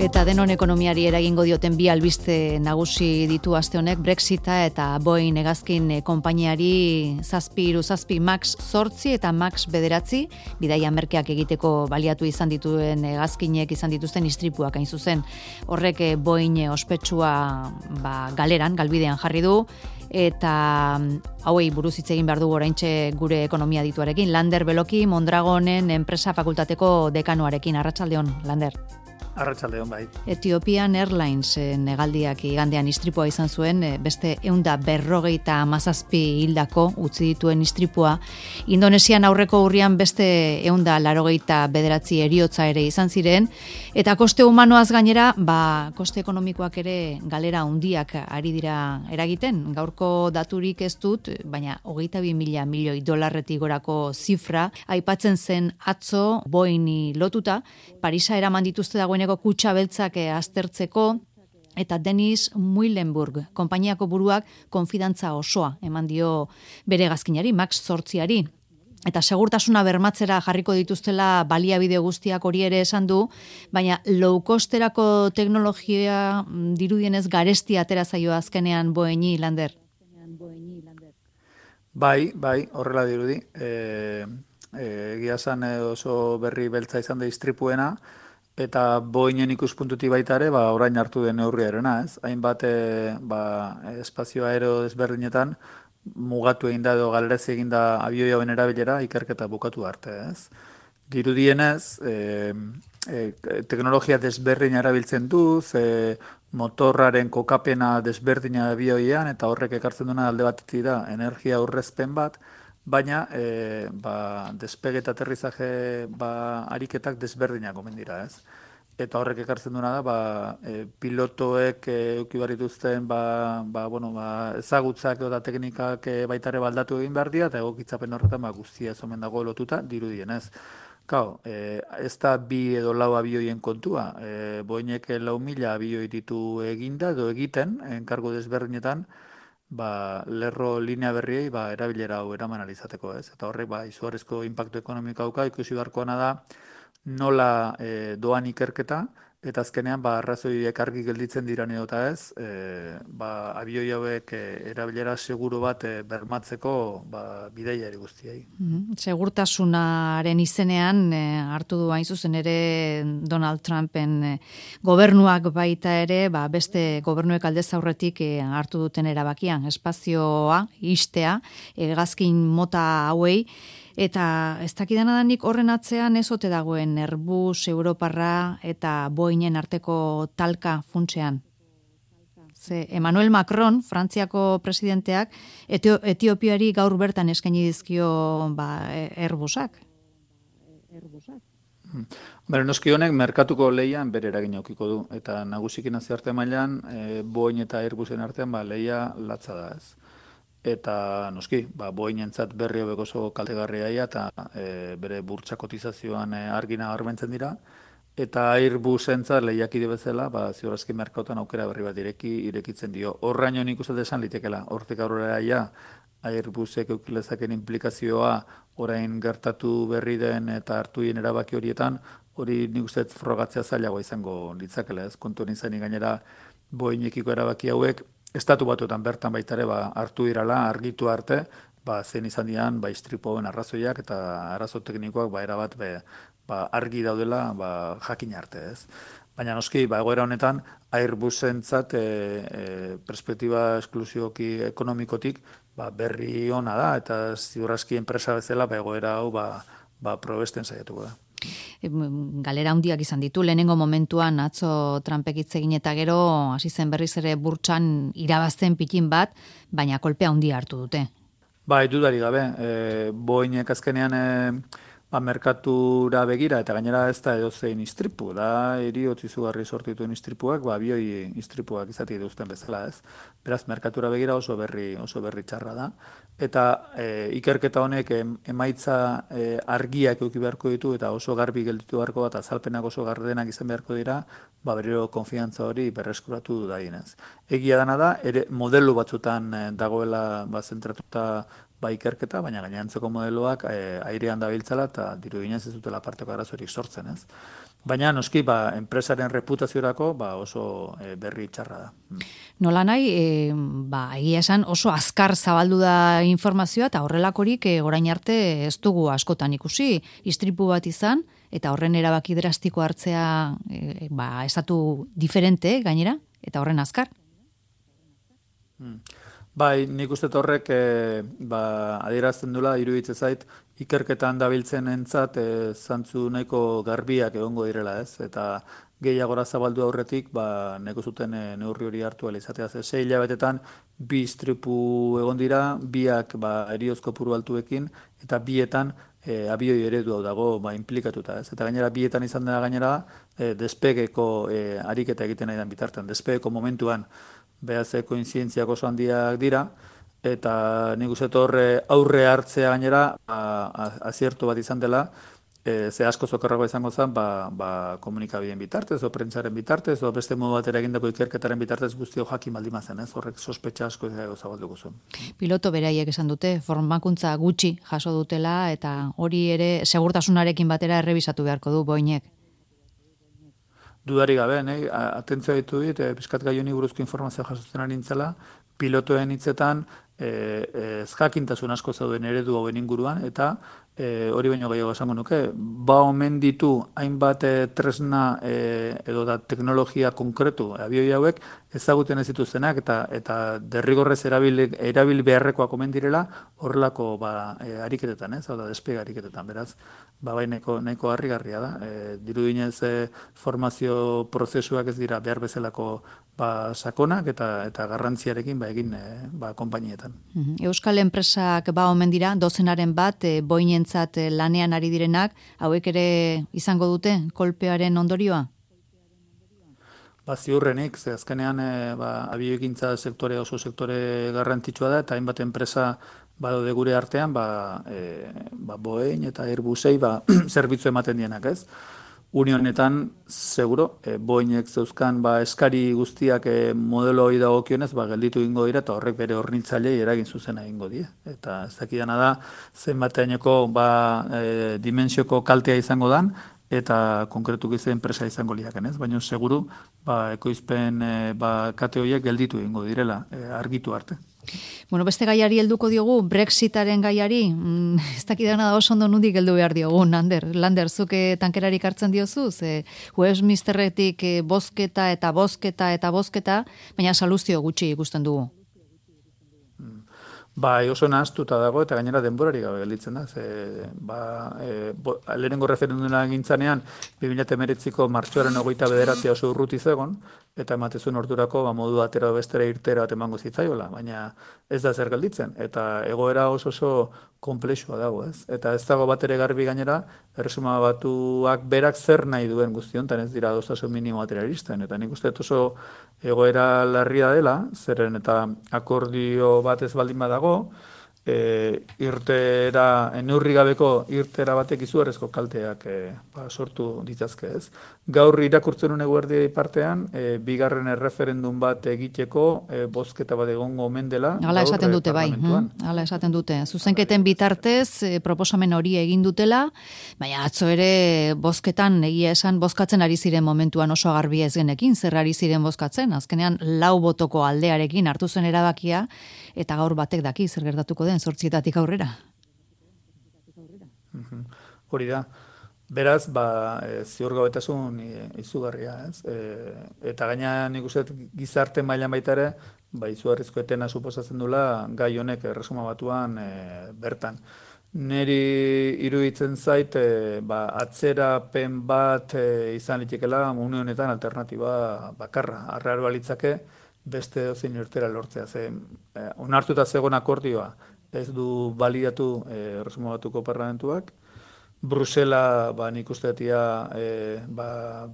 Eta denon ekonomiari eragingo dioten bi albiste nagusi ditu aste honek, Brexita eta Boeing hegazkin konpainiari 737 MAX 8 eta MAX 9 bidaia merkeak egiteko baliatu izan dituen hegazkinek izan dituzten istripuak hain zuzen. Horrek Boeing ospetsua galeran, galbidean jarri du, eta hauei buruz hitz egin behar dugu oraintxe gure ekonomia dituarekin. Lander Beloki, Mondragonen enpresa fakultateko dekanoarekin. Arratsaldeon, Lander. Arratsaldeon, bai. Ethiopian Airlines hegaldiak igandean istripua izan zuen, beste 157 hildako utzi dituen istripua. Indonesian aurreko urrian beste 189 heriotza ere izan ziren, eta koste humanoaz gainera, koste ekonomikoak ere galera handiak ari dira eragiten. Gaurko daturik ez dut, baina 22.000 milioi dolarretik gorako zifra aipatzen zen atzo Boeingi lotuta. Parisa eraman dituzte dagoeneko kutxa beltzak aztertzeko, eta Dennis Muilenburg, konpainiako buruak konfidantza osoa eman dio bere hegazkinari, MAX 8ari. Eta segurtasuna bermatzera jarriko dituztela baliabide guztiak hori ere esan du, baina low costerako teknologia dirudienez garesti atera zaio azkenean Boeingi, Lander. Bai, horrela dirudi. Egia esan oso berri beltza izan da istripuena, eta Boeingen ikuspuntutik baita ere, orain hartu den neurriarena, ez? Hainbat espazio aero desberdinetan mugatu egin da edo galerezi egin da abioi hauen erabilera ikerketa bukatu arte, ez? Dirudienez, teknologia desberdina erabiltzen du, motorraren kokapena desberdina abioian, eta horrek ekartzen duena alde batetik da energia aurrezpen bat, baina despege eta aterrizaje ariketak desberdinak omen dira, ez? Eta horrek ekartzen duena da, pilotoek eduki behar dituzten ezagutzak eta teknikak baita ere baldatu egin behar dira, eta egokitzapen horretan guztia ez omen dago lotuta dirudienez. Kao, ez da 2 edo 4 abioien kontua, Boeinek 4.000 abioi ditu eginda edo egiten, enkargo desberdinetan, lerro linea berriei erabilera hau eraman alizateko, ez? Eta horrek izugarrizko inpaktu ekonomiko dauka, ikusi beharkoana da nola doan ikerketa, eta azkenean arrazoiek argi gelditzen dira edota ez, abioi hauek erabilera seguru bat bermatzeko bidaiari guztiei. Segurtasunaren izenean hartu du hain zuzen ere Donald Trumpen gobernuak baita ere, beste gobernuek aldez aurretik hartu duten erabakian, espazioa, istea, hegazkin mota hauei, eta ez dakidana da nik horren atzean ez ote dagoen Airbus, Europarra eta Boeingen arteko talka funtsean. Emmanuel Macron, Frantziako presidenteak, Etiopiari gaur bertan eskaini dizkio Airbusak. Noski honek merkatuko lehian bere eragina edukiko du, eta nagusiki nazioarte mailan Boeing eta Airbusen artean lehia latza da, ez. Eta noski, Boeingentzat berri hobek oso kaltegarria eta bere burtsa kotizazioan argina garbentzen dira, eta Airbusentzat lehiakide bezala, ziurazki merkautan aukera berri bat irekitzen dio. Horraino nik uste esan litekela, hortik aurrera Airbusek eukilezaken implikazioa orain gertatu berri den eta hartuien erabaki horietan, hori nik uste frogatzea zailagoa izango litzakela, ez? Kontuan izanik gainera Boeingekiko erabaki hauek, Estatu Batuetan bertan baita ere hartu dirala, argitu arte, zein izan dian istripoen arrazoiak eta arazo teknikoak erabat argi daudela jakin arte, ez. Baina noski, egoera honetan, Airbusentzat perspektiba esklusioki ekonomikotik berri ona da, eta ziurraski enpresa bezala egoera hau probesten saiatuko da. Galera handiak izan ditu, lehenengo momentuan atzo Trumpek hitz egin eta gero hasi zen berriz ere burtsan irabazten pitin bat, baina kolpea handia hartu dute. Dudari gabe, Boeinek azkenean merkatura begira, eta gainera ez da edozein istripu, da heriotz izugarri sortu dituen istripuak, abioi istripuak izatik duzten bezala, ez. Beraz, merkatura begira oso berri txarra da. Eta ikerketa honek emaitza argiak eduki beharko ditu, eta oso garbi gelditu beharko bat, azalpenak oso gardenak izan beharko dira, berriro konfiantza hori berreskuratu daienez. Egia dana da, ere modelo batzutan dagoela zentratuta ba ikerketa, baina gainantzeko modeloak airean dabiltzala eta dirudienez ez dutela parteko arazorik sortzen, ez? Baina noski enpresaren reputaziorako oso berri txarra da. Nola nahi, egia esan oso azkar zabaldu da informazioa eta horrelakorik orain arte ez dugu askotan ikusi, istripu bat izan eta horren erabaki drastiko hartzea estatu diferente gainera eta horren azkar. Bai, nik uste horrek adierazten dula, iruditzen zait, ikerketan dabiltzen entzat zantzu nahiko garbiak egongo direla, ez? Eta gehiagora zabaldu aurretik, neko zuten neurri hori hartu alizatea. 6 hilabetetan, 2 istripu egon dira, 2ak heriotz kopuru altuekin, eta 2etan abioi eredu hau dago implikatuta, ez? Eta gainera 2etan izan da gainera despegeko ariketa egiten nahi den bitartean, despegeko momentuan behaz koinzientziak oso handiak dira, eta nik uste horre aurre hartzea gainera aziertu bat izan dela, ze asko zokarragoa izango zen, komunikabideen bitartez, o prentsaren bitartez, o beste modu batera egindako ikerketaren bitartez guztio jakin baldin zen, ez? Horrek sospetxa asko zabalduko zuen. Piloto beraiek esan dute, formakuntza gutxi jaso dutela, eta hori ere segurtasunarekin batera errebisatu beharko du Boeinek. Dudari gabe, atentzioa ditu dit, pizkat gai honi buruzko informazioa jasotzen ari nintzela, pilotoen hitzetan ezjakintasun asko zauden eredu hauen inguruan, eta hori baino gehiago esango nuke, omen ditu hainbat tresna edo da teknologia konkretu abioi hauek ezaguten ez dituztenak eta derrigorrez erabil beharrekoak omen direla horrelako ariketetan, ez? Hau da, despega ariketetan, beraz, nahiko harrigarria da. Dirudienez formazio prozesuak ez dira behar bezalako sakonak eta garrantziarekin egin konpainietan. Euskal enpresak omen dira, dozenaren bat, Boeinentzat lanean ari direnak, hauek ere izango dute kolpearen ondorioa? Ziurrenik, ze azkenean abioekintza sektore oso sektore garrantzitsua da, eta hainbat enpresa badaude gure artean, Boeing eta Airbusei zerbitzu ematen dienak, ez? Unionetan, seguro, Boeinek zeuzkan eskari guztiak modelo hori dagokionez, gelditu egingo dira, eta horrek bere hornitzailei eragin zuzena egingo die. Eta ez dakidana da, zenbateaineko dimensioko kaltea izango dan, eta konkretu gize enpresa izango liaken, ez? Baina seguru, ekoizpen kate horiek gelditu egingo direla, argitu arte. Bueno, beste gaiari helduko diogu, Brexitaren gaiari, ez dakidana da oso ondo nundik heldu behar diogu, Lander, zuk tankerarik hartzen diozu, Westminsterretik bozketa eta bozketa eta bozketa, baina saluzio gutxi ikusten dugu. Oso nahaztuta dago eta gainera denborari gabe gelditzen da. Lehenengo referenduna egintzanean 2019ko martxoaren 29 oso urruti zegon, eta ematezun ordurako modu atera bestera irtera bat emango zitzaiola, baina ez da zer gelditzen. Eta egoera oso komplexua dago, ez? Eta ez dago bat ere garbi gainera, Erresuma Batuak berak zer nahi duen guztiontan, ez dira adostasun minimo batera iristen. Eta nik uste oso egoera larria dela, zeren eta akordio bat ez baldin badago, neurri gabeko irtera batek izugarrizko kalteak sortu ditzazke, ez? Gaur irakurtzen une guardiai partean, bigarren erreferendum bat egiteko bozketa bat egongo omen dela. Hala esaten dute, hala esaten dute. Zuzenketen bitartez proposamen hori egin dutela, baina atzo ere bozketan egia esan bozkatzen ari ziren momentuan oso garbi ez genekin, zer ari ziren bozkatzen, azkenean 4 botoko aldearekin hartu zen erabakia, eta gaur batek daki zer gertatuko den 8 aurrera. Hori da. Beraz, ziurgabetasun izugarria, ez? Eta gaina nik uste gizarte mailan baita ere, izugarrizko etena suposatzen dula gai honek Erresuma Batuan bertan. Neri iruditzen zait, atzerapen bat izan litekela une honetan alternatiba bakarra. Arraro balitzake beste dozein irtera lortzea. Onartuta zegoen akordioa ez du balidatu Erresuma Batuko parlamentuak. Brusela nik usteetia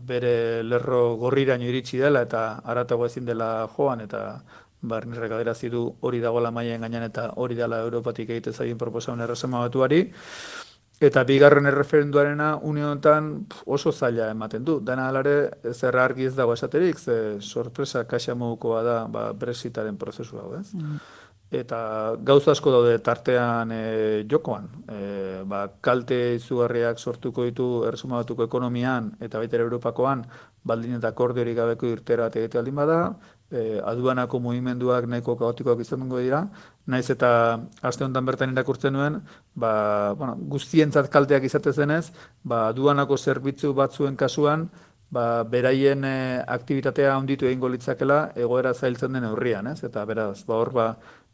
bere lerro gorriraino iritsi dela eta aratago ezin dela joan eta nirrek aderazi du hori dagoela mailen gainean eta hori dela Europatik egite zaien proposamen Erresuma Batuari. Eta bigarren erreferenduarena unionetan oso zaila ematen du. Dena alare zer argi ez dago esaterik, ze sorpresa kaxa modukoa da Brexitaren prozesu hau, ez? eta gauza asko daude tartean jokoan. Kalte izugarriak sortuko ditu Erresuma Batuko ekonomian eta baita ere Europakoan baldin eta akordiorik gabeko irtera egite aldin bada, aduanako mugimenduak nahiko kaotikoak izango dira, naiz eta aste honetan bertan irakurtzen nuen, guztientzat kalteak izatez denez, aduanako zerbitzu batzuen kasuan, beraien aktibitatea handitu egingo litzakela egoera zailtzen den neurrian, ez? Eta beraz, hor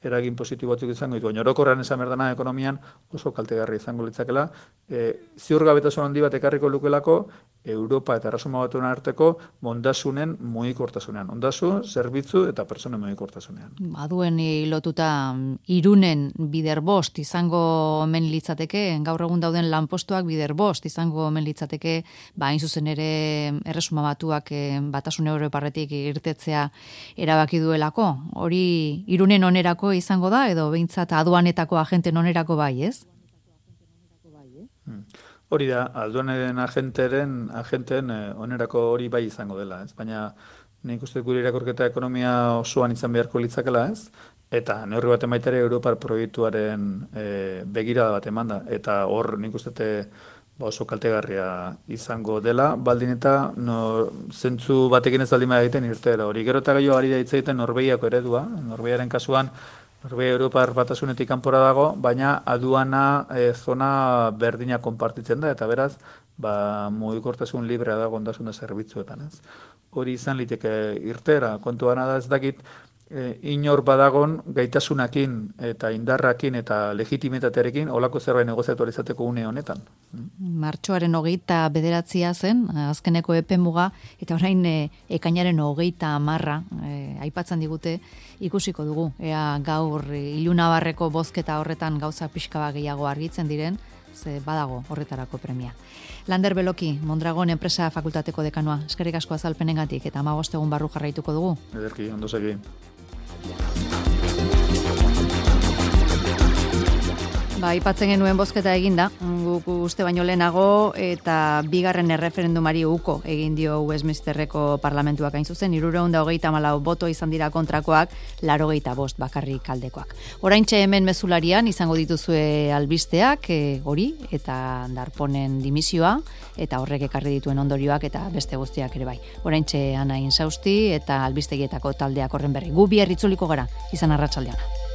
eragin positibo batzuk izango ditu. Baina orokorrean esan berdana ekonomian oso kaltegarri izango litzakela. Ziurgabetasun handi bat ekarriko lukelako Europa eta Erresuma Batuen arteko ondasunen mugikortasunean. Ondasun, zerbitzu eta pertsonen mugikortasunean. Aduen lotuta Irunen bider bost izango omen litzateke, gaur egun dauden lanpostuak bider bost izango omen litzateke, hain zuzen ere Erresuma Batuak Batasun Europarretik irtetzea erabaki duelako. Hori Irunen onerako izango da, edo behintzat aduanetako agenten onerako bai, ez? Hori da, aduanen agenteen onerako hori bai izango dela, ez? Baina nik uste gure irakurketa ekonomia osoan izan beharko litzakela, ez? Eta neurri bat emaitere Europar proiektuaren begirada bat eman da. Eta hor nik uste oso kaltegarria izango dela, baldin eta zentzu batekin ez aldima egiten irtera. Hori gero eta gehiago ari da hitz egiten Norvegiako eredua. Norvegiaren kasuan, Norvegia Europar Batasunetik kanpora dago, baina aduana zona berdina konpartitzen da, eta beraz, mugikortasun librea dago ondasuna zerbitzuetan, ez. Hori izan liteke irtera, kontuana da ez dakit, inor badagon gaitasunakin eta indarrakin eta legitimitatearekin olako zerbait negoziatu izateko une honetan. Martxoaren 29 zen, azkeneko epemuga, eta orain ekainaren 30 aipatzen digute, ikusiko dugu. Ea gaur ilunabarreko bozketa horretan gauza pixka gehiago argitzen diren, ze badago horretarako premia. Lander Beloki, Mondragon Enpresa Fakultateko dekanua, eskerrik asko azalpenengatik eta 15 egun barru jarraituko dugu. Ederki, ondo segi. Aipatzen genuen bozketa eginda, guk uste baino lehenago, eta bigarren erreferendumari uko egin dio Westminsterreko parlamentuak hain zuzen, 324 boto izan dira kontrakoak, 85 bakarrik aldekoak. Oraintxe hemen mezularian izango dituzue albisteak, hori, eta Darponen dimisioa, eta horrek ekarri dituen ondorioak, eta beste guztiak ere bai. Oraintxe Ana Insausti, eta albistegietako taldeak horren berri. Gu bihar itzuliko gara, izan arratsaldean.